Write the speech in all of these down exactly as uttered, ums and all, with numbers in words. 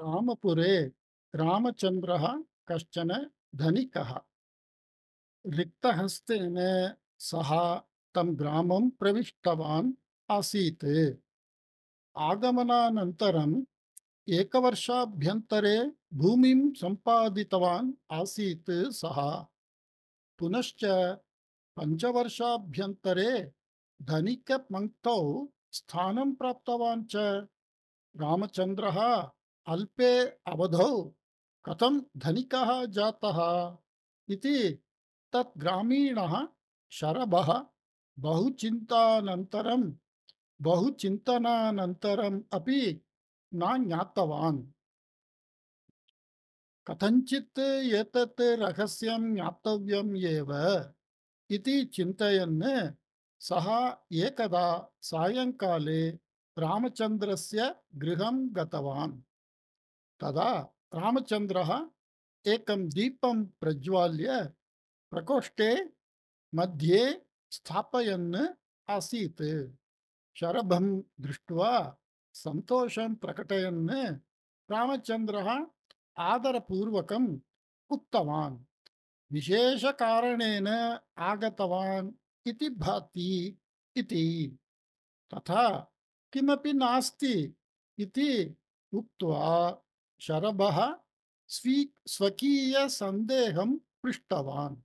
रामपुरे रामचन्द्रः कश्चन धनिकः रिक्तहस्तेन सः तं ग्रामं प्रविष्टवान् आसीत्। आगमनानन्तरम् एकवर्षाभ्यन्तरे भूमिं सम्पादितवान् आसीत् सः। पुनश्च पञ्चवर्षाभ्यन्तरे धनिकपङ्क्तौ स्थानं प्राप्तवान् च। रामचन्द्रः अल्पे अवधौ कथं धनिकः जातः इति तत् ग्रामीणः शरभः बहुचिन्तानन्तरं बहुचिन्तनानन्तरम् अपि न ज्ञातवान्। कथञ्चित् एतत् रहस्यं ज्ञातव्यम् एव इति चिन्तयन् सः एकदा सायङ्काले रामचन्द्रस्य गृहं गतवान्। तदा रामचन्द्रः एकं दीपं प्रज्वाल्य प्रकोष्ठे मध्ये स्थापयन् आसीत्। शरभं दृष्ट्वा सन्तोषं प्रकटयन् रामचन्द्रः आदरपूर्वकम् उक्तवान्, विशेषकारणेन आगतवान् इति भाति इति। तथा किमपि नास्ति इति उक्त्वा शरभः स्वी स्वकीयसन्देहं पृष्टवान्।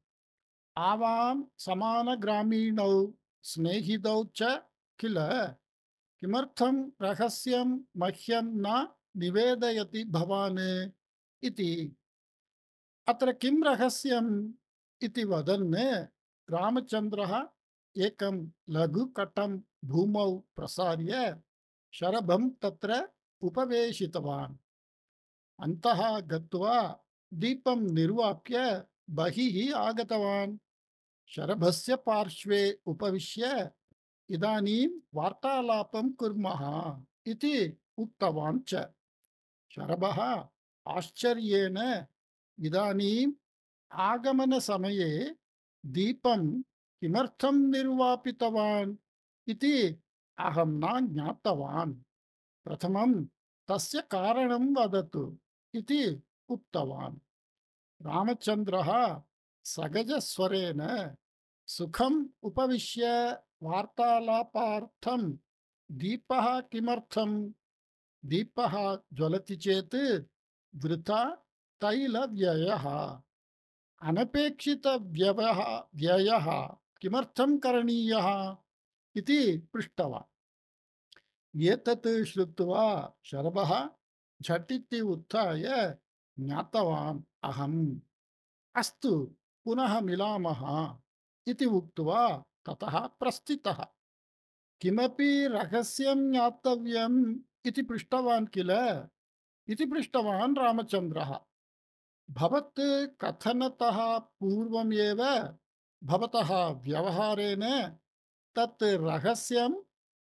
आवां समानग्रामीणौ स्नेहितौ च किल, किमर्थं रहस्यं मह्यं न निवेदयति भवान् इति। अत्र किं रहस्यम् इति वदन् रामचन्द्रः एकं लघुकटं भूमौ प्रसार्य शरभं तत्र उपवेशितवान्। अन्तः गत्वा दीपं निर्वाप्य बहिः आगतवान्। शरभस्य पार्श्वे उपविश्य इदानीं वार्तालापं कुर्मः इति उक्तवान् च। शरभः आश्चर्येण इदानीम् आगमनसमये दीपं किमर्थं निर्वापितवान् इति अहं न ज्ञातवान्। प्रथमं तस्य कारणं वदतु इति उक्तवान्। रामचन्द्रः सहजस्वरेण सुखम् उपविश्य वार्तालापार्थं दीपः किमर्थं, दीपः ज्वलति चेत् वृथा तैलव्ययः, अनपेक्षितव्ययः व्ययः किमर्थं करणीयः इति पृष्टवान्। एतत् श्रुत्वा शरभः झटिति उत्थाय ज्ञातवान् अहम्, अस्तु पुनः मिलामः इति उक्त्वा ततः प्रस्थितः। किमपि रहस्यं ज्ञातव्यम् इति पृष्टवान् किल इति पृष्टवान् रामचन्द्रः। भवत् कथनतः पूर्वमेव भवतः व्यवहारेण तत् रहस्यम्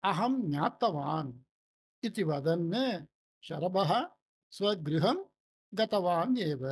अहं ज्ञातवान् इति वदन् शरभः स्वगृहं गतवान् एव।